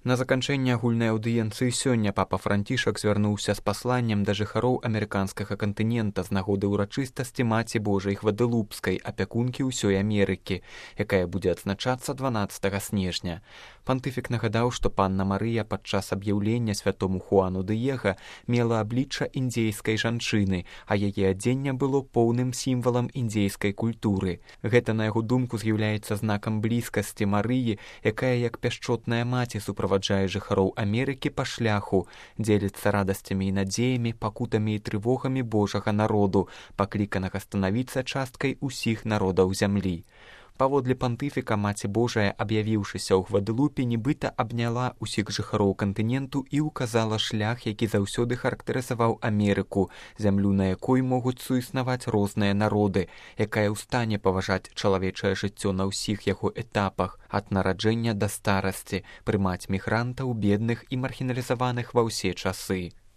На заканчэнне агульнай аўдыенцыі сёння папа Францішак звярнуўся з пасланнем да жыхароў амерыканскага кантынента з нагоды ўрачыстасці Маці Божай Гвадэлупскай, апякункі ўсёй Амерыкі, якая будзе адзначацца 12 снежня. Пантыфік нагадаў, што панна Марыя падчас аб'яўлення святому Хуану Дыега мела аблічча індзейскай жанчыны, а яе адзенне было поўным сімвалам індзейскай культуры. Гэта, на яго думку, з'яўляецца знакам блізкасці Марыі, якая, як пяшчотная маці, суправаджае жыхароў Амерыкі па шляху, дзеліцца радасцямі і надзеямі, пакутамі і трывогамі Божага народу, пакліканага станавіцца часткай усіх народаў зямлі. Паводле пантыфіка Маці Божая, аб'явіўшыся ў Гвадэлупе, нібыта абняла ўсіх жыхароў кантыненту і ўказала шлях, які заўсёды характарызаваў Амерыку, зямлю, на якой могуць суіснаваць розныя народы, якая ў стане паважаць чалавечае жыццё на ўсіх яго этапах, ад нараджэння да старасці, прымаць мігрантаў, бедных і маргіналізаваных ва ўсе часы.